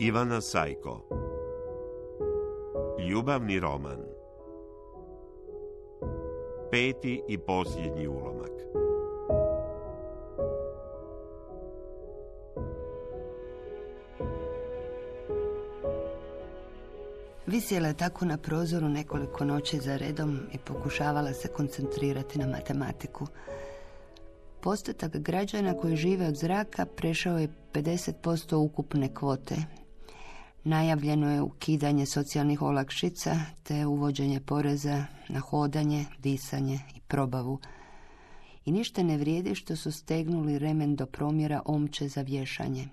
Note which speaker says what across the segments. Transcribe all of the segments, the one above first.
Speaker 1: Ivana Sajko. Ljubavni roman. 5. i posljednji ulomak.
Speaker 2: Visjela je tako na prozoru nekoliko noći za redom i pokušavala se koncentrirati na matematiku. Postotak građana koji žive od zraka prešao je 50% ukupne kvote. Najavljeno je ukidanje socijalnih olakšica te uvođenje poreza na hodanje, disanje i probavu. I ništa ne vrijedi što su stegnuli remen do promjera omče za vješanje.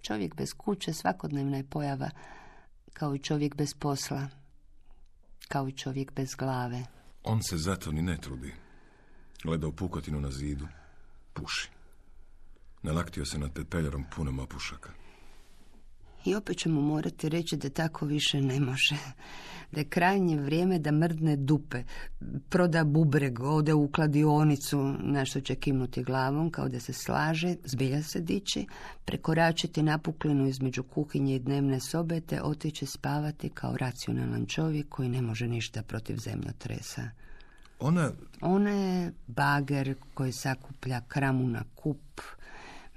Speaker 2: Čovjek bez kuće svakodnevna je pojava, kao i čovjek bez posla, kao i čovjek bez glave.
Speaker 3: On se zato ni ne trudi. Gleda u pukotinu na zidu, puši. Nalaktio se nad pepeljarom punom opušaka.
Speaker 2: I opet ćemo morati reći da tako više ne može. Da je krajnje vrijeme da mrdne dupe, proda bubreg, ode u kladionicu, na što će kimnuti glavom, kao da se slaže, zbilja se dići, prekoračiti napuklinu između kuhinje i dnevne sobe, te otići spavati kao racionalan čovjek koji ne može ništa protiv zemljotresa. Ona je bager koji sakuplja kramu na kup,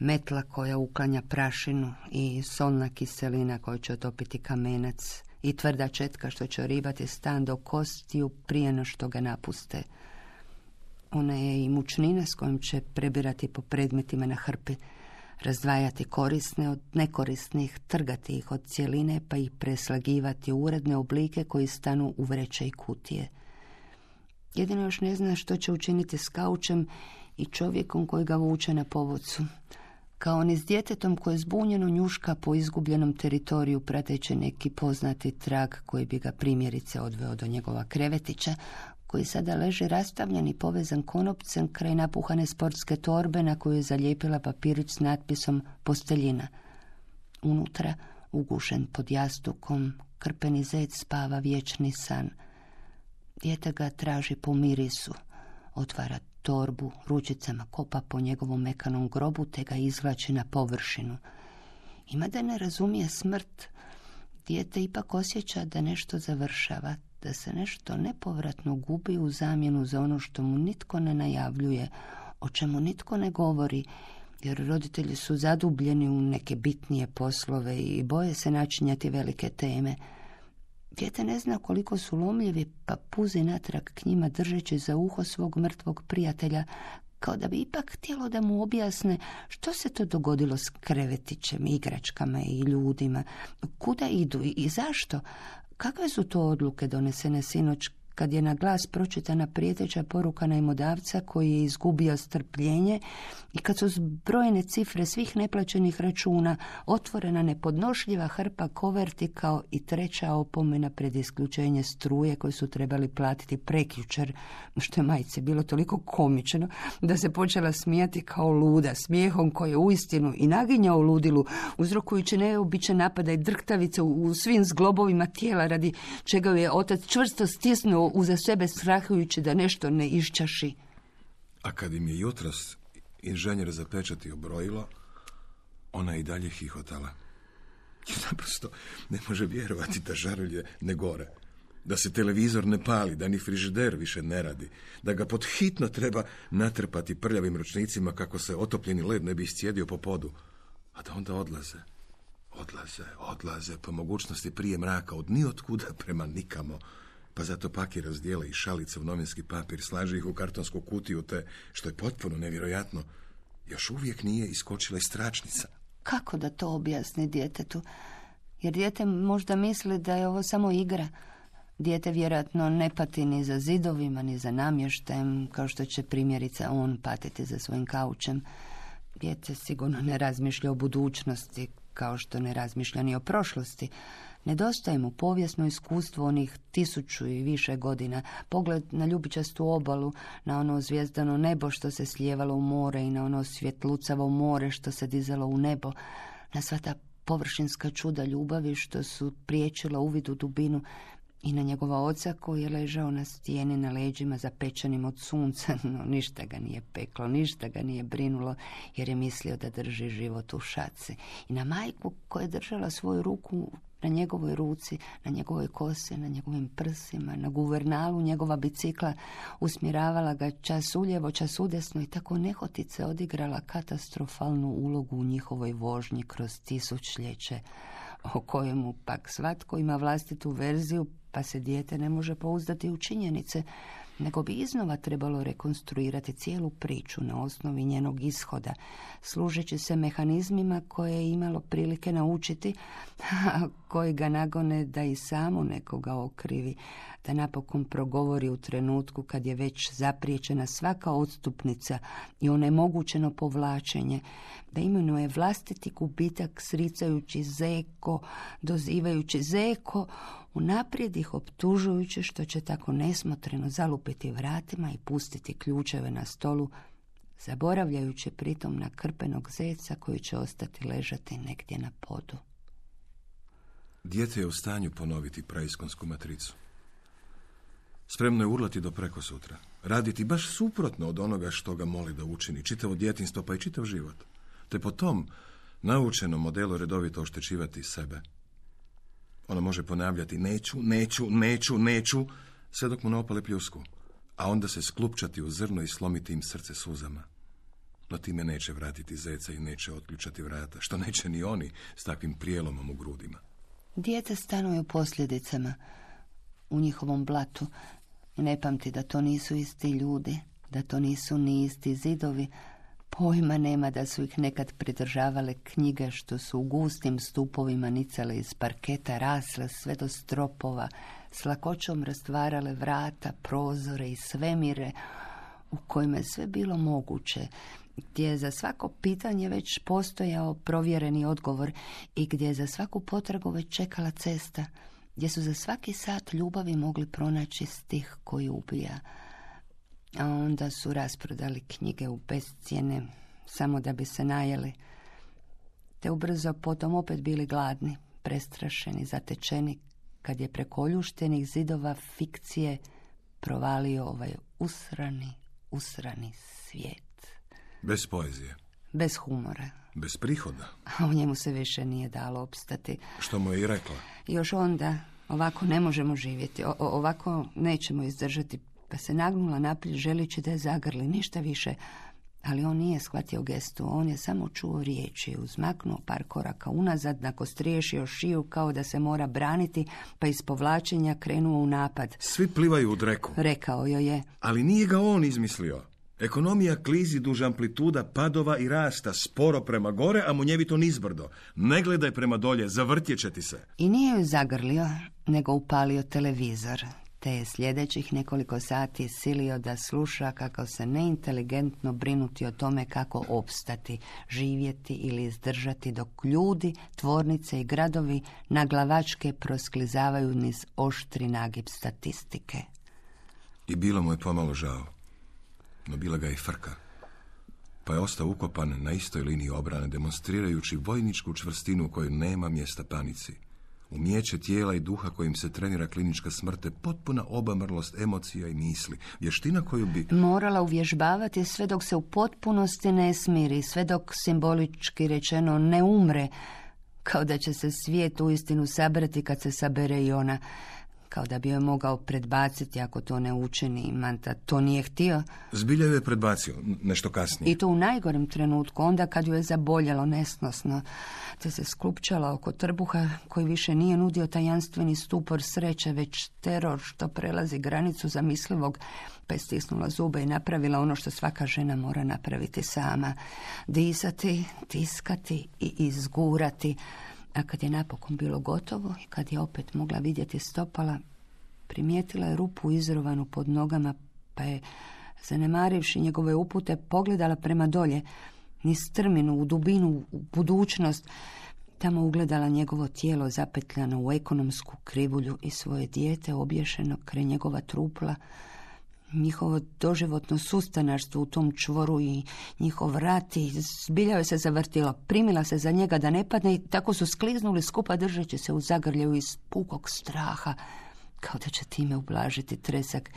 Speaker 2: metla koja uklanja prašinu i solna kiselina koja će otopiti kamenac i tvrda četka što će oribati stan do kostiju prije no što ga napuste. Ona je i mučnina s kojom će prebirati po predmetima na hrpi, razdvajati korisne od nekorisnih, trgati ih od cjeline pa ih preslagivati u uredne oblike koji stanu u vreće i kutije. Jedino još ne zna što će učiniti s kaučem i čovjekom koji ga vuče na povodcu. Kao ni s djetetom koje zbunjeno njuška po izgubljenom teritoriju prateći neki poznati trag koji bi ga primjerice odveo do njegova krevetića, koji sada leži rastavljen i povezan konopcem kraj napuhane sportske torbe na koju je zalijepila papirić s natpisom posteljina. Unutra, ugušen pod jastukom, krpeni zec spava vječni san. Dijete ga traži po mirisu, otvara torbu, ručicama kopa po njegovom mekanom grobu te ga izvlači na površinu. Ima da ne razumije smrt, dijete ipak osjeća da nešto završava, da se nešto nepovratno gubi u zamjenu za ono što mu nitko ne najavljuje, o čemu nitko ne govori, jer roditelji su zadubljeni u neke bitnije poslove i boje se načinjati velike teme. Dijete ne zna koliko su lomljivi, pa puzi natrag k njima držeći za uho svog mrtvog prijatelja, kao da bi ipak htjelo da mu objasne što se to dogodilo s krevetićem, igračkama i ljudima, kuda idu i zašto, kakve su to odluke donesene sinoć kad je na glas pročitana prijeteća poruka najmodavca koji je izgubio strpljenje i kad su zbrojene cifre svih neplaćenih računa, otvorena nepodnošljiva hrpa koverti kao i treća opomena pred isključenje struje koju su trebali platiti prekjučer, što je majci bilo toliko komično da se počela smijati kao luda, smijehom koji je uistinu i naginjao u ludilu, uzrokujući neobičan napada i drhtavice u svim zglobovima tijela, radi čega je otac čvrsto stisnuo uza sebe strahujući da nešto ne iščaši.
Speaker 3: A kad im je jutros inženjer zapečatio brojilo, ona i dalje hihotala. Naprosto ne može vjerovati da žarulje ne gore, da se televizor ne pali, da ni frižider više ne radi, da ga pod hitno treba natrpati prljavim ručnicima kako se otopljeni led ne bi iscijedio po podu, a da onda odlaze po mogućnosti prije mraka od niotkuda prema nikamo. Pa zato paki razdijele i šalice u novinski papir, slaže ih u kartonsku kutiju, te, što je potpuno nevjerojatno, još uvijek nije iskočila iz tračnica.
Speaker 2: Kako da to objasni djetetu? Jer dijete možda misli da je ovo samo igra. Dijete vjerojatno ne pati ni za zidovima, ni za namještajem, kao što će primjerice on patiti za svojim kaučem. Dijete sigurno ne razmišlja o budućnosti, kao što ne razmišlja ni o prošlosti. Nedostaje mu povijesno iskustvo onih 1000 i više godina, pogled na ljubičastu obalu, na ono zvijezdano nebo što se slijevalo u more i na ono svjetlucavo more što se dizalo u nebo, na sva ta površinska čuda ljubavi što su priječila uvid u dubinu i na njegova oca koji je ležao na stijeni na leđima zapečenim od sunca, no ništa ga nije peklo, ništa ga nije brinulo, jer je mislio da drži život u šaci. I na majku koja je držala svoju ruku na njegovoj ruci, na njegovoj kosi, na njegovim prsima, na guvernalu njegova bicikla, usmjeravala ga čas uljevo, čas udesno i tako nehotice odigrala katastrofalnu ulogu u njihovoj vožnji kroz tisućljeće, o kojemu pak svatko ima vlastitu verziju, pa se dijete ne može pouzdati u činjenice, nego bi iznova trebalo rekonstruirati cijelu priču na osnovi njenog ishoda, služeći se mehanizmima koje je imalo prilike naučiti, a koji ga nagone da i samo nekoga okrivi, da napokon progovori u trenutku kad je već zapriječena svaka odstupnica i onemogućeno povlačenje, da imenuje vlastiti gubitak sricajući zeko, dozivajući zeko, unaprijed ih optužujući što će tako nesmotreno zalupiti vratima i pustiti ključeve na stolu, zaboravljajući pritom na krpenog zeca koji će ostati ležati negdje na podu.
Speaker 3: Dijete je u stanju ponoviti praiskonsku matricu. Spremno je urlati do prekosutra, raditi baš suprotno od onoga što ga moli da učini, čitavo djetinjstvo pa i čitav život, te po tom naučenom modelu redovito oštećivati sebe. Ona može ponavljati neću, sve dok mu ne opale pljusku, a onda se sklupčati u zrno i slomiti im srce suzama. No time neće vratiti zeca i neće otključati vrata, što neće ni oni s takvim prijelomom u grudima.
Speaker 2: Dijete stanuje u posljedicama, u njihovom blatu, i ne pamti da to nisu isti ljudi, da to nisu ni isti zidovi. Pojma nema da su ih nekad pridržavale knjige što su u gustim stupovima nicale iz parketa, rasle sve do stropova, s lakoćom rastvarale vrata, prozore i svemire u kojima je sve bilo moguće, gdje je za svako pitanje već postojao provjereni odgovor i gdje je za svaku potragu već čekala cesta, gdje su za svaki sat ljubavi mogli pronaći stih koji ubija. A onda su rasprodali knjige u bescijene, samo da bi se najeli, te ubrzo potom opet bili gladni, prestrašeni, zatečeni, kad je preko oljuštenih zidova fikcije provalio ovaj usrani svijet.
Speaker 3: Bez poezije.
Speaker 2: Bez humora.
Speaker 3: Bez prihoda.
Speaker 2: A u njemu se više nije dalo opstati.
Speaker 3: Što mu je i rekla.
Speaker 2: Još onda, ovako ne možemo živjeti, ovako nećemo izdržati, pa se nagnula naprijed želeći da je zagrli, ništa više. Ali on nije shvatio gestu, on je samo čuo riječi, uzmaknuo par koraka unazad, nakostriješio šiju kao da se mora braniti, pa iz povlačenja krenuo u napad.
Speaker 3: Svi plivaju u dreku.
Speaker 2: Rekao joj je.
Speaker 3: Ali nije ga on izmislio. Ekonomija klizi duž amplituda padova i rasta, sporo prema gore, a munjevito nizbrdo. Ne gledaj prema dolje, zavrtjet će ti se.
Speaker 2: I nije ju zagrlio, nego upalio televizor, te je sljedećih nekoliko sati silio da sluša kako se neinteligentno brinuti o tome kako opstati, živjeti ili izdržati dok ljudi, tvornice i gradovi naglavačke prosklizavaju niz oštri nagib statistike.
Speaker 3: I bilo mu je pomalo žao, no bila ga i frka, pa je ostao ukopan na istoj liniji obrane, demonstrirajući vojničku čvrstinu u kojoj nema mjesta panici. Umijeće tijela i duha kojim se trenira klinička smrt je potpuna obamrlost emocija i misli, vještina koju bi
Speaker 2: morala uvježbavati sve dok se u potpunosti ne smiri, sve dok simbolički rečeno ne umre, kao da će se svijet uistinu sabrati kad se sabere i ona, kao da bi joj mogao predbaciti ako to ne učini. Manta to nije htio.
Speaker 3: Zbilja je predbacio, nešto kasnije.
Speaker 2: I to u najgorem trenutku, onda kad ju je zaboljelo nesnosno, te se sklupčala oko trbuha koji više nije nudio tajanstveni stupor sreće, već teror što prelazi granicu zamislivog, pa je stisnula zube i napravila ono što svaka žena mora napraviti sama. Disati, tiskati i izgurati. A kad je napokon bilo gotovo i kad je opet mogla vidjeti stopala, primijetila je rupu izrovanu pod nogama, pa je, zanemarivši njegove upute, pogledala prema dolje, niz strminu, u dubinu, u budućnost. Tamo ugledala njegovo tijelo zapetljano u ekonomsku krivulju i svoje dijete obješeno kraj njegova trupla, njihovo doživotno sustanarstvo u tom čvoru i njihov rat, i zbilja joj se zavrtilo. Primila se za njega da ne padne i tako su skliznuli skupa držeći se u zagrljaju iz pukog straha, kao da će time ublažiti tresak.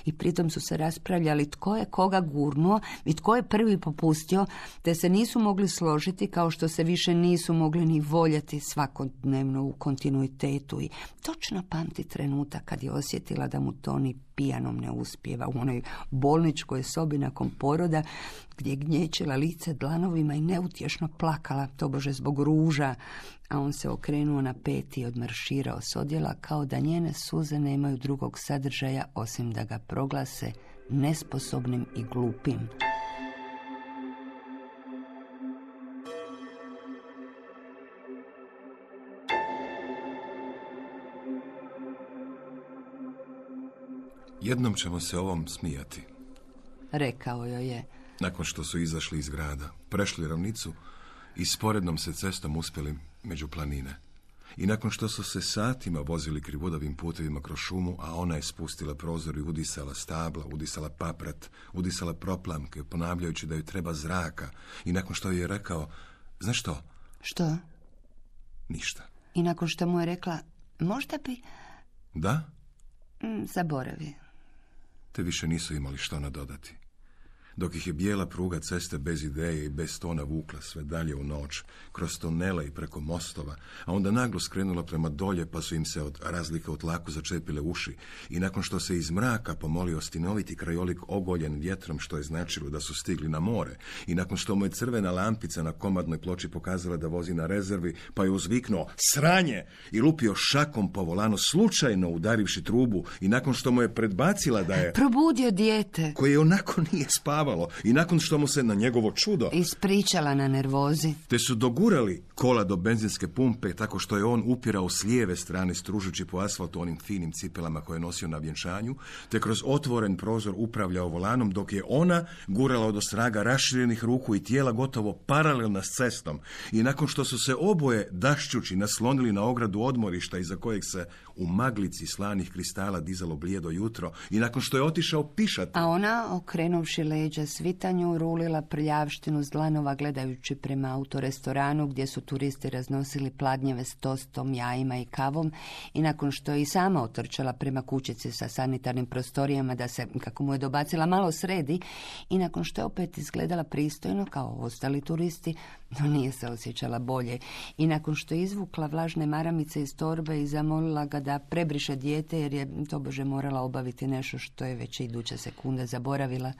Speaker 2: I pritom su se raspravljali tko je koga gurnuo i tko je prvi popustio, te se nisu mogli složiti, kao što se više nisu mogli ni voljeti svakodnevno u kontinuitetu. I točno pamti trenutak kad je osjetila da mu to ni pijanom ne uspijeva, u onoj bolničkoj sobi nakon poroda, gdje je gnječila lice dlanovima i neutješno plakala, tobože zbog ruža, a on se okrenuo na peti i odmarširao s odjela, kao da njene suze nemaju drugog sadržaja osim da ga proglase nesposobnim i glupim.
Speaker 3: Jednom ćemo se ovom smijati.
Speaker 2: Rekao joj je.
Speaker 3: Nakon što su izašli iz grada, prešli ravnicu i sporednom se cestom uspjeli među planine. I nakon što su se satima vozili krivudavim putevima kroz šumu, a ona je spustila prozor i udisala stabla, udisala paprat, udisala proplamke, ponavljajući da joj treba zraka. I nakon što je rekao, znaš što?
Speaker 2: Što?
Speaker 3: Ništa.
Speaker 2: I nakon što mu je rekla, možda bi...
Speaker 3: Da?
Speaker 2: Zaboravi.
Speaker 3: Te više nisu imali što nadodati. Dok ih je bijela pruga ceste bez ideje i bez tona vukla sve dalje u noć, kroz tunele i preko mostova, a onda naglo skrenula prema dolje, pa su im se od razlike u tlaku začepile uši. I nakon što se iz mraka pomolio stinoviti krajolik ogoljen vjetrom, što je značilo da su stigli na more, i nakon što mu je crvena lampica na komadnoj ploči pokazala da vozi na rezervi, pa je uzviknuo sranje i lupio šakom po volanu, slučajno udarivši trubu, i nakon što mu je predbacila da je...
Speaker 2: Probudio dijete.
Speaker 3: Koje onako nije spavalo, i nakon što mu se na njegovo čudo
Speaker 2: ispričala na nervozi,
Speaker 3: te su dogurali kola do benzinske pumpe, tako što je on upirao s lijeve strane stružući po asfaltu onim finim cipelama koje je nosio na vjenčanju, te kroz otvoren prozor upravljao volanom, dok je ona gurala od ostraga raširenih ruku i tijela gotovo paralelna s cestom. I nakon što su se oboje dašćući naslonili na ogradu odmorišta iza kojeg se u maglici slanih kristala dizalo blijedo jutro, i nakon što je otišao pišat,
Speaker 2: a ona, okrenuvši leđa svitanju, rulila prljavštinu s dlanova gledajući prema autorestoranu gdje su turisti raznosili pladnjeve s tostom, jajima i kavom, i nakon što je i sama otrčala prema kućici sa sanitarnim prostorijama da se, kako mu je dobacila, malo sredi, i nakon što je opet izgledala pristojno kao ostali turisti, no nije se osjećala bolje, i nakon što je izvukla vlažne maramice iz torbe i zamolila ga da prebriše dijete jer je tobože morala obaviti nešto što je već iduće sekunde zaboravila,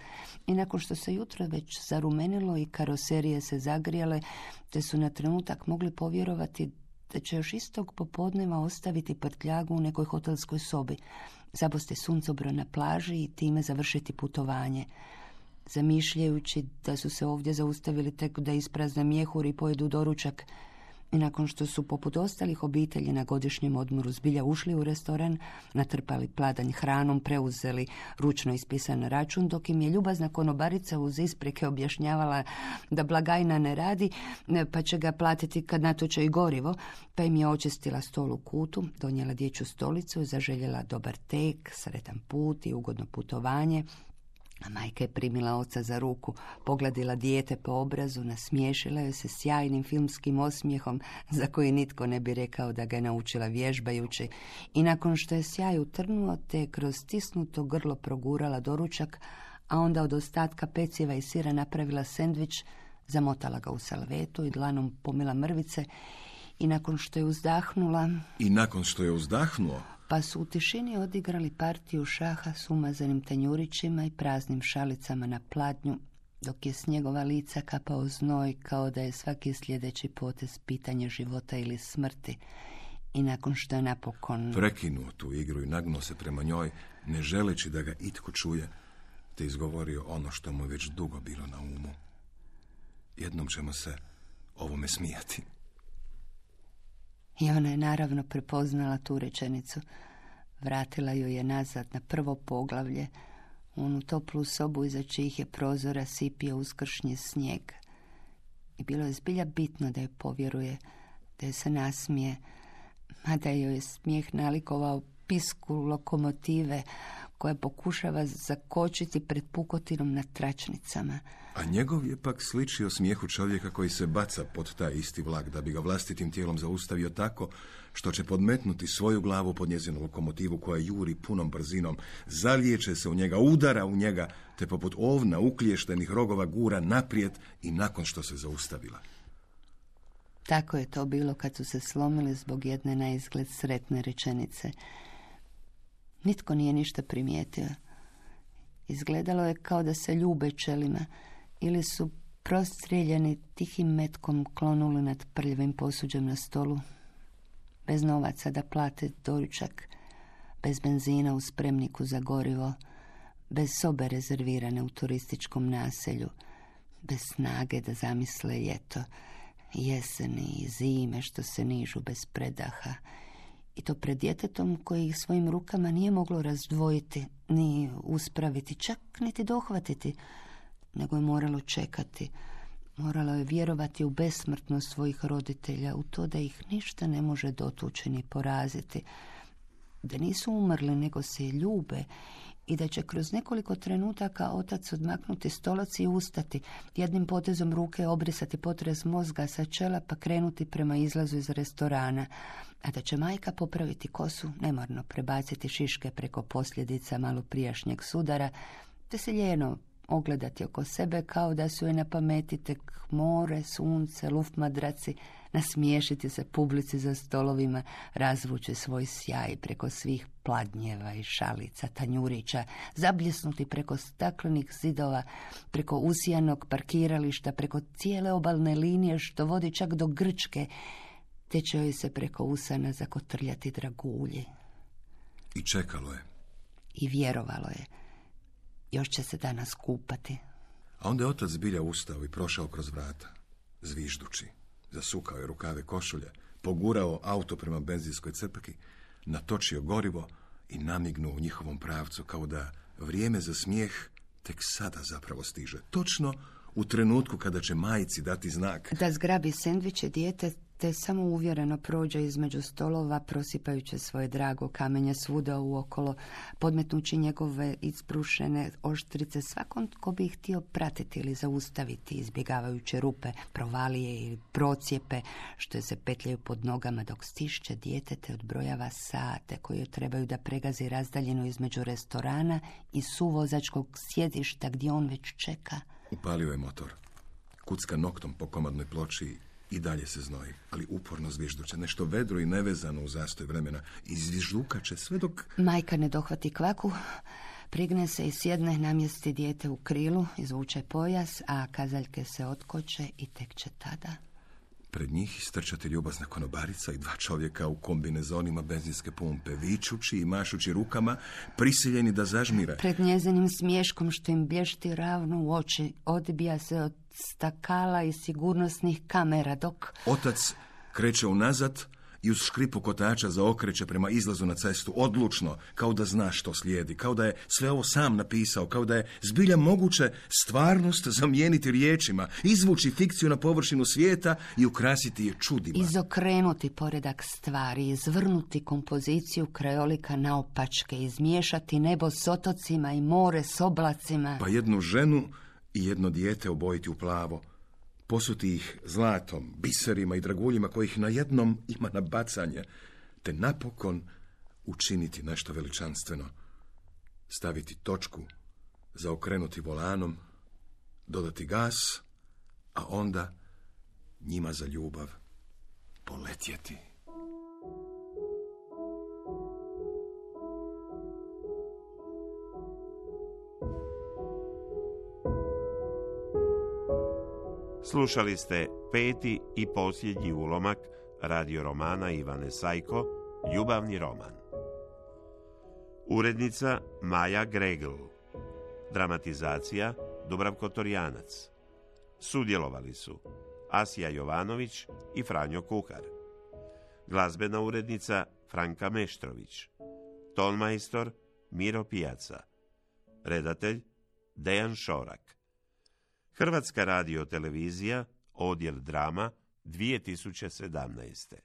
Speaker 2: i nakon što se jutro već zarumenilo i karoserije se zagrijale, te su na trenutak mogli povjerovati da će još istog popodneva ostaviti prtljagu u nekoj hotelskoj sobi, zabosti suncobran na plaži i time završiti putovanje. Zamišljajući da su se ovdje zaustavili tek da isprazne mjehur i pojedu doručak, i nakon što su poput ostalih obitelji na godišnjem odmoru zbilja ušli u restoran, natrpali pladanj hranom, preuzeli ručno ispisan račun, dok im je ljubazna konobarica uz isprike objašnjavala da blagajna ne radi, pa će ga platiti kad natoče i gorivo, pa im je očistila stol u kutu, donijela dječju stolicu, zaželjela dobar tek, sretan put i ugodno putovanje. A majka je primila oca za ruku, pogladila dijete po obrazu, nasmiješila joj se sjajnim filmskim osmijehom za koji nitko ne bi rekao da ga je naučila vježbajući, i nakon što je sjaj utrnuo, te kroz stisnuto grlo progurala doručak, a onda od ostatka peciva i sira napravila sendvič, zamotala ga u salvetu i dlanom pomila mrvice, i nakon što je uzdahnula... Pa su u tišini odigrali partiju šaha s umazanim tanjurićima i praznim šalicama na pladnju, dok je s njegova lica kapao znoj kao da je svaki sljedeći potez pitanje života ili smrti. I nakon što je napokon
Speaker 3: prekinuo tu igru i nagnuo se prema njoj, ne želeći da ga itko čuje, te izgovorio ono što mu je već dugo bilo na umu. Jednom ćemo se ovome smijati.
Speaker 2: I ona je naravno prepoznala tu rečenicu. Vratila ju je nazad na prvo poglavlje, u onu toplu sobu iza čijih je prozora sipio uskršnji snijeg. I bilo je zbilja bitno da je povjeruje, da je se nasmije, mada joj je smijeh nalikovao pisku lokomotive koja pokušava zakočiti pred pukotinom na tračnicama.
Speaker 3: A njegov je pak sličio smijehu čovjeka koji se baca pod taj isti vlak da bi ga vlastitim tijelom zaustavio tako što će podmetnuti svoju glavu pod njezinu lokomotivu koja juri punom brzinom, zalijeće se u njega, udara u njega, te poput ovna ukliještenih rogova gura naprijed i nakon što se zaustavila.
Speaker 2: Tako je to bilo kad su se slomili zbog jedne na izgled sretne rečenice. Nitko nije ništa primijetio. Izgledalo je kao da se ljube čelima ili su prostrijeljeni tihim metkom klonuli nad prljavim posuđem na stolu, bez novaca da plate doručak, bez benzina u spremniku za gorivo, bez sobe rezervirane u turističkom naselju, bez snage da zamisle ljeto, jeseni i zime što se nižu bez predaha, i to pred djetetom koji ih svojim rukama nije moglo razdvojiti, ni uspraviti, čak niti dohvatiti, nego je moralo čekati. Moralo je vjerovati u besmrtnost svojih roditelja, u to da ih ništa ne može dotući ni poraziti, da nisu umrli nego se ljube i da će kroz nekoliko trenutaka otac odmaknuti stolac i ustati, jednim potezom ruke obrisati potres mozga sa čela pa krenuti prema izlazu iz restorana, a da će majka popraviti kosu, nemarno prebaciti šiške preko posljedica malo prijašnjeg sudara, te se ljeno ogledati oko sebe kao da su joj na pameti tek more, sunce, luftmadraci, nasmiješiti se publici za stolovima, razvući svoj sjaj preko svih pladnjeva i šalica, tanjurića, zabljesnuti preko staklenih zidova, preko usijanog parkirališta, preko cijele obalne linije što vodi čak do Grčke, te će joj se preko usana zakotrljati dragulji.
Speaker 3: I čekalo je.
Speaker 2: I vjerovalo je. Još će se danas kupati.
Speaker 3: A onda je otac zbilja ustao i prošao kroz vrata, zviždući. Zasukao je rukave košulje, pogurao auto prema benzinskoj crpki, natočio gorivo i namignuo u njihovom pravcu kao da vrijeme za smijeh tek sada zapravo stiže. Točno u trenutku kada će majci dati znak.
Speaker 2: Da zgrabi sendviče dijete te samo uvjereno prođe između stolova, prosipajući svoje drago kamenje svuda uokolo, podmetnući njegove isbrušene oštrice svakom tko bi ih htio pratiti ili zaustaviti, izbjegavajući rupe, provalije ili procijepe što se petljaju pod nogama dok stišće dijete te odbrojava sate koje trebaju da pregazi razdaljeno između restorana i suvozačkog sjedišta gdje on već čeka.
Speaker 3: Upalio je motor. Kucka noktom po komadnoj ploči i dalje se znoji, ali uporno zvižduće, nešto vedro i nevezano u zastoj vremena. I zviždukače sve dok...
Speaker 2: Majka ne dohvati kvaku, prigne se i sjedne, namjesti dijete u krilu, izvuče pojas, a kazaljke se otkoče i tek će tada...
Speaker 3: Pred njih istrčati ljubazna konobarica i dva čovjeka u kombinezonima benzinske pumpe, vičući i mašući rukama, prisiljeni da zažmire.
Speaker 2: Pred njezinim smješkom što im blješti ravno u oči, odbija se od stakala i sigurnosnih kamera dok...
Speaker 3: Otac kreće unazad i uz škripu kotača zaokreće prema izlazu na cestu, odlučno, kao da zna što slijedi, kao da je sve ovo sam napisao, kao da je zbilja moguće stvarnost zamijeniti riječima, izvući fikciju na površinu svijeta i ukrasiti je čudima.
Speaker 2: Izokrenuti poredak stvari, izvrnuti kompoziciju krajolika naopačke, izmiješati nebo s otocima i more s oblacima.
Speaker 3: Pa jednu ženu i jedno dijete obojiti u plavo, posuti ih zlatom, biserima i draguljima kojih na jednom ima na bacanje, te napokon učiniti nešto veličanstveno, staviti točku, zaokrenuti volanom, dodati gas, a onda njima za ljubav poletjeti.
Speaker 1: Slušali ste 5. i posljednji ulomak radio romana Ivane Sajko, Ljubavni roman. Urednica Maja Gregl. Dramatizacija Dubravko Torjanac. Sudjelovali su Asija Jovanović i Franjo Kuhar. Glazbena urednica Franka Meštrović. Tonmajstor Miro Pijaca. Redatelj Dejan Šorak. Hrvatska radiotelevizija, odjel drama, 2017.